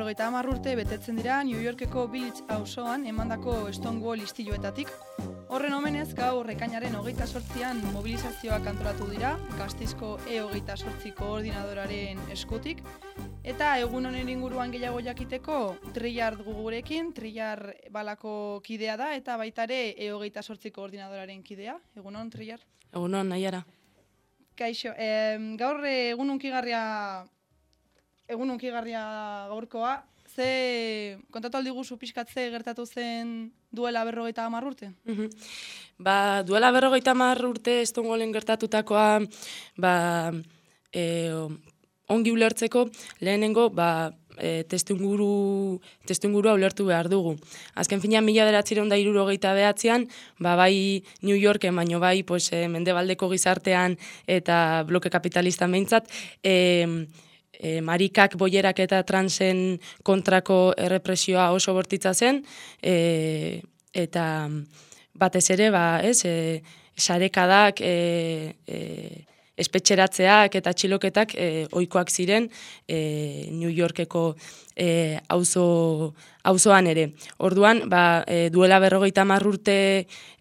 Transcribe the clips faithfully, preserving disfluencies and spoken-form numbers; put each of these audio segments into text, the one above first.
berrogeita hamar urte betetzen dira New Yorkeko Village auzoan emandako Stonewall istiluetatik. Horren omenez, gaur ekainaren hogeita zortzian mobilizazioak antolatu dira, Gasteizko E hogeita zortzi koordinadoraren eskutik, eta egun honen inguruan gehiago jakiteko Trillar dugu gurekin, Trillar balako kidea da, eta baita ere E hogeita zortzi koordinadoraren kidea. Egunon, Trillar? Egunon, Naiara. Kaixo, eh, gaur egun unkigarria, egun unkigarria gaurkoa, ze kontatu aldi guzu pixkatze gertatu zen duela berrogeita hamar urte? Uh-huh. Ba, duela berrogeita hamar urte Stonewallen gertatutakoa, ba, e, ongi ulertzeko lehenengo, ba, e, testuinguru, testuingurua ulertu behar dugu. Azken finean, mila bederatziehun eta hirurogeita bederatzian, ba, bai New Yorken, baino bai pues, e, mendebaldeko gizartean eta bloke kapitalistan behintzat, e, E, marikak, boierak eta transen kontrako errepresioa oso bortitza zen, e, eta batez ere, ba, ez, e, sarekadak, e, e, espetxeratzeak eta txiloketak e, ohikoak ziren e, New Yorkeko e, auzo, auzoan ere. Orduan, ba, e, duela berrogeita hamar urte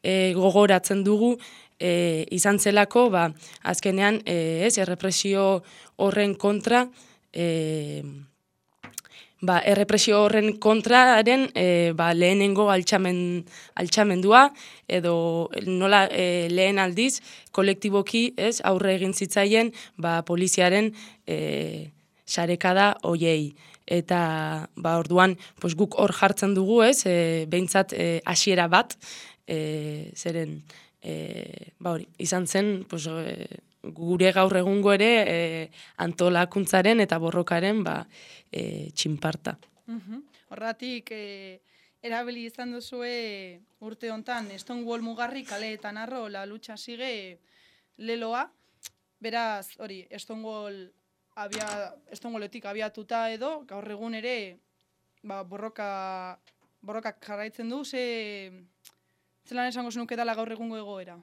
e, gogoratzen dugu, E, izan zelako, ba, azkenean, e, ez, errepresio horren kontra, e, ba, errepresio horren kontraren e, ba, lehenengo altxamen, altxamendua, edo nola e, lehen aldiz, kolektiboki, ez, aurre egin zitzaien, ba, poliziaren e, sarekada hoiei. Eta, ba, orduan, pues, guk hor jartzen dugu, ez, e, behintzat e, hasiera bat, e, zeren, E, ba hori, izan zen pues, e, gure gaur egungo ere e, antolakuntzaren eta borrokaren ba, e, txinparta. Uh-huh. Horratik, e, erabili izan duzue urte hontan Stonewall mugarri kaleetan arro la lucha sigue leloa, beraz, hori, Stonewall abia, Stonewalletik abiatuta edo, gaur egun ere ba, borroka, borrokak jarraitzen du, ze... Zelan esango zenuke dela gaur egungo egoera?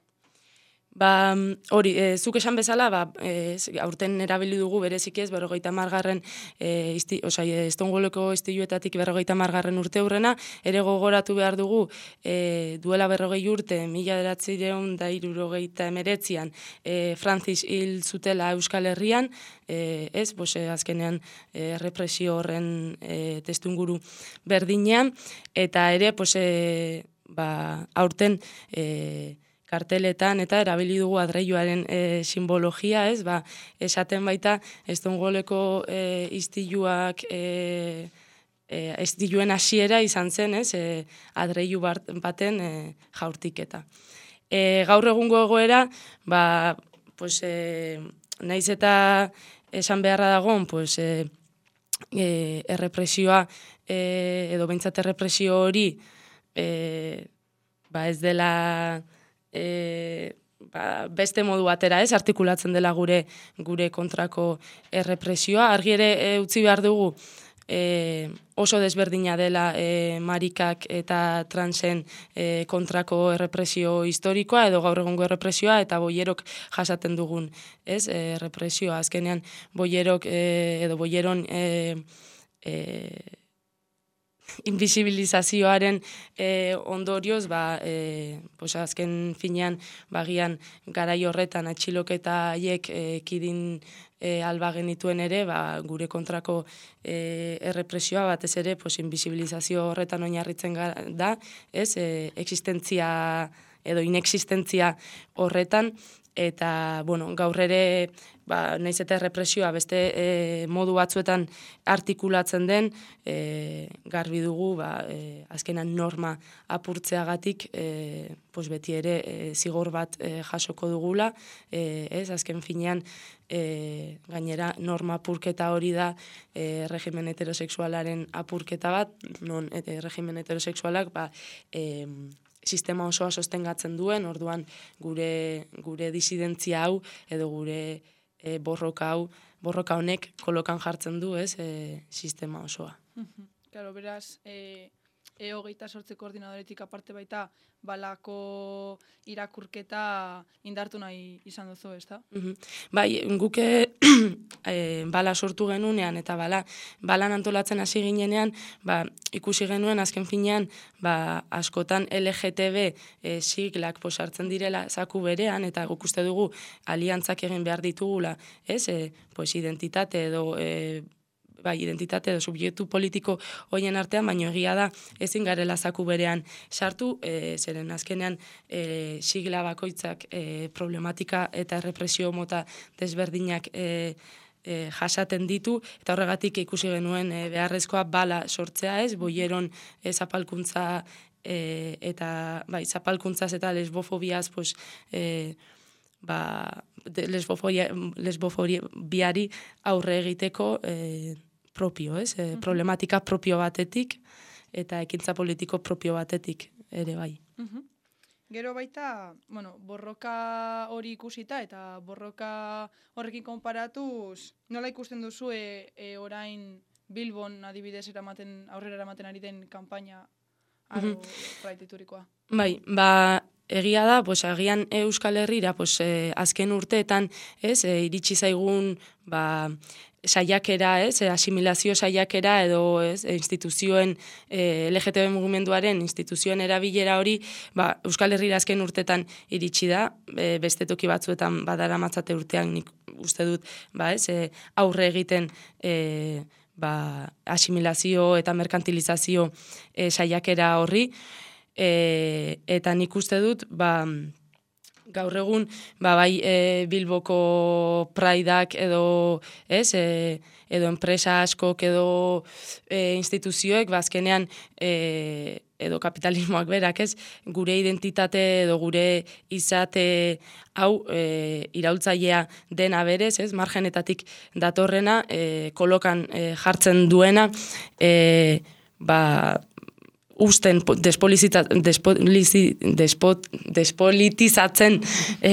Ba, hori, e, zuk esan bezala, ba, e, aurten erabili dugu bereziki ez, berrogeita hamargarren, e, osai, Stonewalleko istiluetatik berrogeita hamargarren urte hurrena, ere gogoratu behar dugu, e, duela berrogei urte, mila bederatziehun eta hirurogeita hemeretzian, e, Francis hil zutela Euskal Herrian, e, ez, bos, e, azkenean e, represio horren e, testuinguru berdinean, eta ere, pues, e, ba, aurten e, karteletan eta erabili dugu adreioaren e, simbologia, ez, ba, esaten baita Stonewalleko e, istiluak e, e, istiluen hasiera izan zen, ez, e, adreiu baten e, jaurtiketa. E, gaur egungo egoera, ba, pues, e, naiz eta esan beharra dagoen, pues, e, e, errepresioa e, edo behintzat errepresio hori E, ba ez dela e, ba, beste modu batera ez, artikulatzen dela gure gure kontrako errepresioa. Argi ere e, utzi behar dugu e, oso desberdina dela e, marikak eta transen e, kontrako errepresio historikoa edo gaur egungo errepresioa eta boierok jasaten dugun, ez, e, errepresioa. Azkenean boierok e, edo boieron e, e, invisibilizazioaren e, ondorioz, ba, e, pues azken finean, bagian garai horretan atxiloketa haiek e, kidin e, alba genituen ere, ba, gure kontrako e, errepresioa batez ere, pues, invisibilizazio horretan oinarritzen da, ez, e, existentzia edo inexistentzia horretan, eta, bueno, gaur ere, ba, naiz eta errepresioa beste e, modu batzuetan artikulatzen den, e, garbi dugu, ba, e, azkenan norma apurtzeagatik, e, pues beti ere e, zigor bat e, jasoko dugula, e, ez, azken finean, e, gainera norma apurketa hori da e, regimen heterosexualaren apurketa bat, non e, regimen heterosexualak, ba, e, sistema osoa sostengatzen duen, orduan gure gure disidentzia hau edo gure e, borroka hau, borroka honek kolokan jartzen du, ez, e, sistema osoa. Claro, beraz, e, E hogeita sortzi koordinadoretik aparte baita balako irakurketa indartu nahi izan duzu, ezta? Mhm. Bai, guke e, bala sortu genunean eta bala, balan antolatzen hasi ginenean, ba, ikusi genuen azken finean, ba, askotan L G T B e, siglak posartzen direla zaku berean, eta guk uste dugu aliantzak egin behar ditugula, ez, e, pues, identitate edo e, bai, identitate edo subjektu politiko hoien artean, baino egia da ezin garela zaku berean sartu, e, zeren azkenean e, sigla bakoitzak e, problematika eta errepresio mota desberdinak e, e, jasaten ditu, eta horregatik ikusi genuen e, beharrezkoa bala sortzea, ez, boieron e, zapalkuntza e, eta bai, zapalkuntzaz eta lesbofobiaz, pues, e, ba, lesbofobia, lesbofobiari aurre egiteko e, propio, ez? E, problematika propio batetik eta ekintza politiko propio batetik ere bai. Uh-huh. Gero baita, bueno, borroka hori ikusita eta borroka horrekin konparatuz, nola ikusten duzu e, e, orain Bilbon adibidez eramaten, aurrera eramaten ari den kanpaina aro uh-huh. praititurikoa? Bai, ba, egia da, pues, agian Euskal Herrira, pues, eh, azken urteetan, ez, eh, iritsi zaigun, ba, saiakera, ez, asimilazio saiakera edo, ez, instituzioen, eh, L G T B mugimenduaren instituzioen erabilera hori, ba, Euskal Herrira azken urteetan iritsi da, e, beste toki batzuetan badara matzate urtean nik uste dut, ba, ez, e, aurre egiten, e, ba, asimilazio eta merkantilizazio e, saiakera horri, e, eta nik uste dut, ba, gaur egun, ba, bai e, Bilboko Praidak edo, ez, e, edo enpresa askok edo e, instituzioek, ba, azkenean, e, edo kapitalismoak berak, ez, gure identitate edo gure izate hau e, iraultzailea dena berez, ez, margenetatik datorrena, e, kolokan e, jartzen duena, e, ba, usten despolitizatzen e,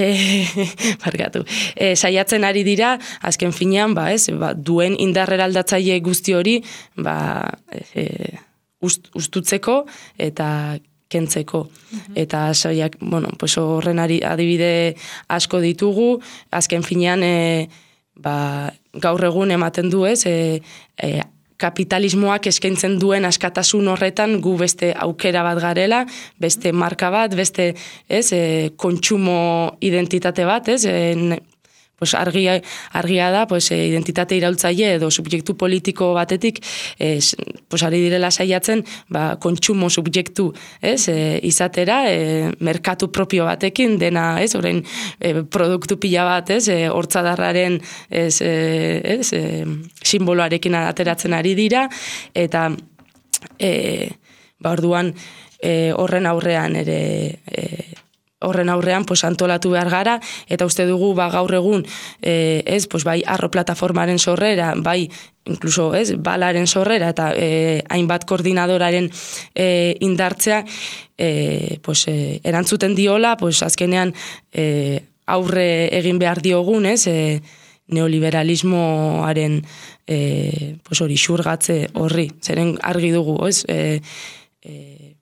barkatu, e, saiatzen ari dira, azken finean, ba, ez, ba, duen indarrera aldatzaile guzti hori, ba, e, ust, ustutzeko eta kentzeko. Uh-huh. Eta saiak, bueno, pues horren adibide asko ditugu, azken finean, e, ba, gaur egun ematen du, ez, e, e, kapitalismoak eskaintzen duen askatasun horretan gu beste aukera bat garela, beste marka bat, beste, ez, e, kontsumo identitate bat, ez, e, pues argia, argia da, pues, e, identitate iraultzaile edo subjektu politiko batetik, e, pues, ari direla saiatzen, ba, kontsumo subjektu, ez, e, izatera, e, merkatu propio batekin, dena, ez, orain, e, produktu pila bat, ez, e, hortzadarraren, ez, e, ez, e, simboloarekin ateratzen ari dira, eta, e, ba, orduan, e, horren aurrean ere, e, horren aurrean pues, antolatu behar gara, eta uste dugu ba, gaur egun, e, ez, pues, bai, arro plataformaren sorrera, bai, inkluso, ez, balaren sorrera, eta e, hainbat koordinadoraren e, indartzea, e, pues, e, erantzuten diola, pues, azkenean e, aurre egin behar diogun, ez, e, neoliberalismoaren e, pues, hori xurgatze horri, zeren argi dugu, ez, e, e,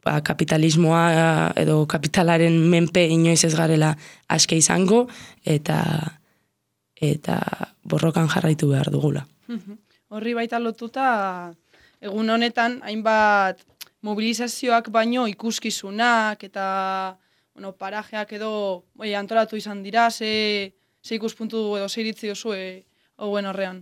ba, kapitalismoa edo kapitalaren menpe inoiz ez garela aske izango, eta eta borrokan jarraitu behar dugula. Horri baita lotuta, egun honetan, hainbat mobilizazioak baino ikuskizunak eta bueno, parajeak edo oi, antolatu izan dira, ze, ze ikuspuntu edo ze iritzi oso hauen horrean.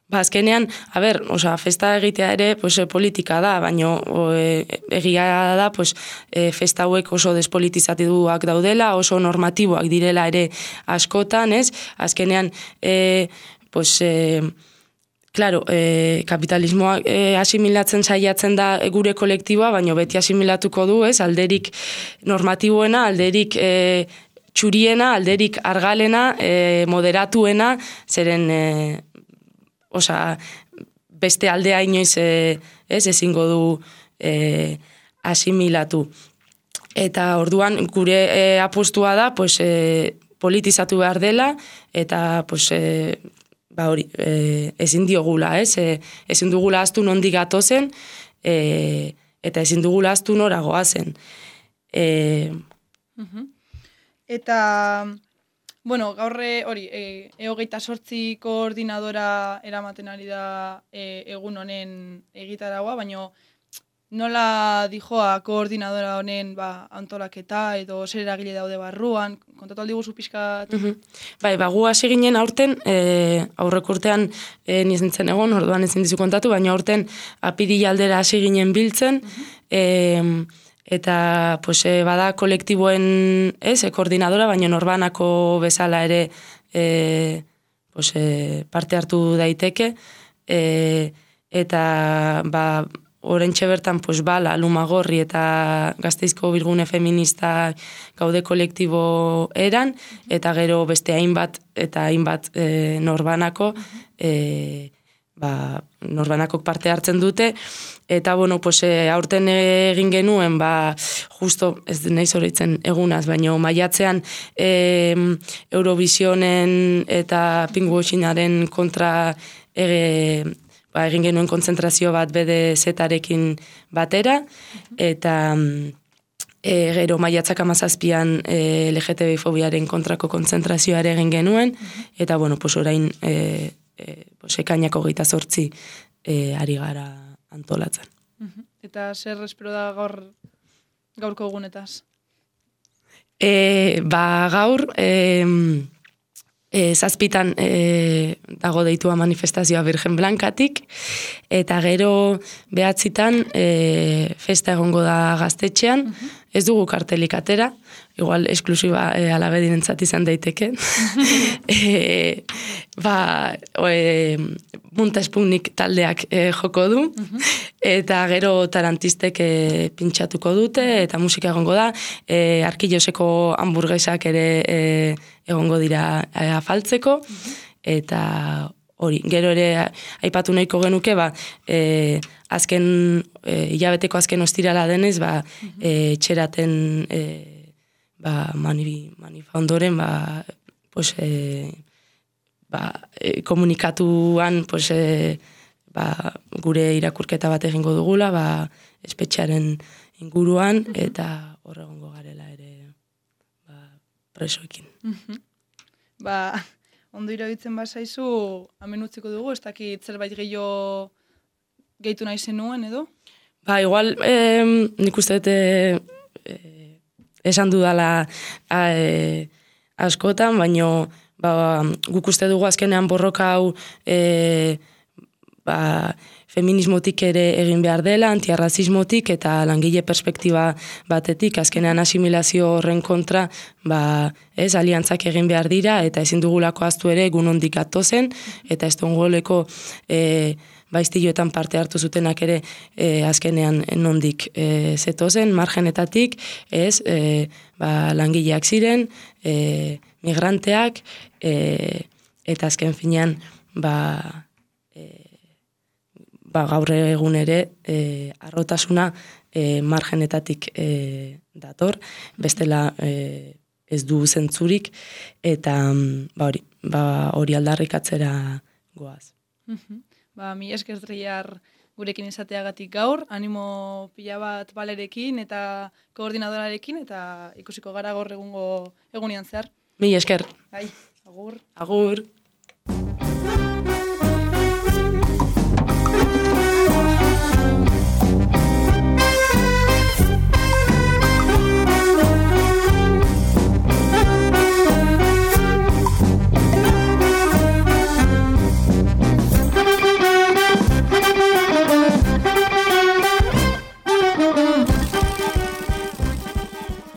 Ba, azkenean, a ber, oza, festa egitea ere, pues, politika da, baino e, egia da, pues, e, festa hauek oso despolitizatuak daudela, oso normatiboak direla ere askotan, ez? Azkenean, e, pues, e, claro, e, kapitalismoa e, asimilatzen saiatzen da gure kolektiboa, baino beti asimilatuko du, ez? Alderik normatiboena, alderik e, txuriena, alderik argalena, e, moderatuena, zeren... E, Osa, beste aldea inoiz e, ez ezingo du e, asimilatu. Eta orduan gure e, apostua da pues, e, politizatu behar dela eta pues, e, ba hori, e, ezin diogula, ez? E, ezin dugula aztu nondik gatozen, e, eta ezin dugula ahaztu nora goazen. E... Eta, bueno, gaurre hori, e, e hogeita sortzi koordinadora eramaten ari da e, egun honen egitaragua, baina nola dijoa koordinadora honen ba, antolaketa edo zer eragile daude barruan, kontatu aldi guzu pixkat? Mm-hmm. Bai, ba, gu hasi ginen aurten, e, aurreko urtean e, nizentzen egon, orduan ezin dizu kontatu, baina aurten apirila aldera hasi ginen biltzen, mm-hmm. e, eta pues, e, bada kolektiboen ez, e, koordinadora, baina norbanako bezala ere e, pues, e, parte hartu daiteke, e, eta ba, orentxe bertan, pues, bala, Lumagorri eta Gasteizko Bilgune Feminista gaude kolektibo eran, eta gero beste hainbat eta hainbat e, norbanako, e, ba, norbanakok parte hartzen dute, eta, bueno, pues, e, aurten egin genuen, ba, justo, ez nahi zoritzen egunaz, baina maiatzean e, Eurovisionen eta pinkwashingaren kontra ege, ba, egin genuen kontzentrazio bat B D Z-arekin batera, eta e, gero maiatzak amazazpian e, L G T B fobiaren kontrako kontzentrazioa ere egin genuen, eta, bueno, pues, orain e, e, pues, ekainako geita zortzi e, ari gara antolatzen. Eta zer espero da gaur gaurko egunetaz? E, ba, gaur... E, E, zazpitan e, dago deitua manifestazioa Virgen Blankatik, eta gero behatzitan e, festa egongo da Gaztetxean, uh-huh. Ez dugu kartelik atera, igual esklusiba e, alabedirentzat izan daiteke. e, ba, e, Munta Spunik taldeak e, joko du, uh-huh. Eta gero tarantistek e, pintxatuko dute, eta musika egongo da, e, Arkilloseko hamburguesak ere e, egongo dira e, afaltzeko, uh-huh. Eta hori, gero ere aipatu nahiko genuke, ba, e, azken, e, hilabeteko azken ostirala denez, ba, uh-huh. e, txeraten e, ba, mani, manifa ondoren, ba, pues, e, ba, e, komunikatuan, pues, e, ba, gure irakurketa bat egingo dugula, ba, espetxearen inguruan, uh-huh. Eta horregongo garela ere ba, presoekin. Uh-huh. Ba, ondo irabitzen bazaizu, hemen utziko dugu, ez dakit zerbait gehiago gehitu nahi zenuen, edo? Ba, igual, eh, nik uste eh, eh, esan dudala eh, askotan, baino ba, guk uste dugu azkenean borroka hau eh, ba, feminismotik ere egin behar dela, antiarrazismotik eta langile perspektiba batetik, azkenean asimilazio horren kontra, ba, ez, aliantzak egin behar dira, eta ezin dugulako aztu ere egun hondik atozen, eta Stonewalleko e, baiztiloetan parte hartu zutenak ere e, azkenean nondik e, zetozen, margenetatik, ez, e, ba, langileak ziren, e, migranteak, e, eta azken finean, ba, ba, gaur egun ere e, arrotasuna e, margenetatik e, dator, bestela e, ez du zentzurik, eta ba, hori, ba, hori aldarrikatzera goaz. Uh-huh. Ba, mi esker Triar gurekin izateagatik gaur, animo pila bat balerekin eta koordinadorarekin, eta ikusiko gara gaur egungo egunian zehar. Mi esker. Bai, agur. Agur.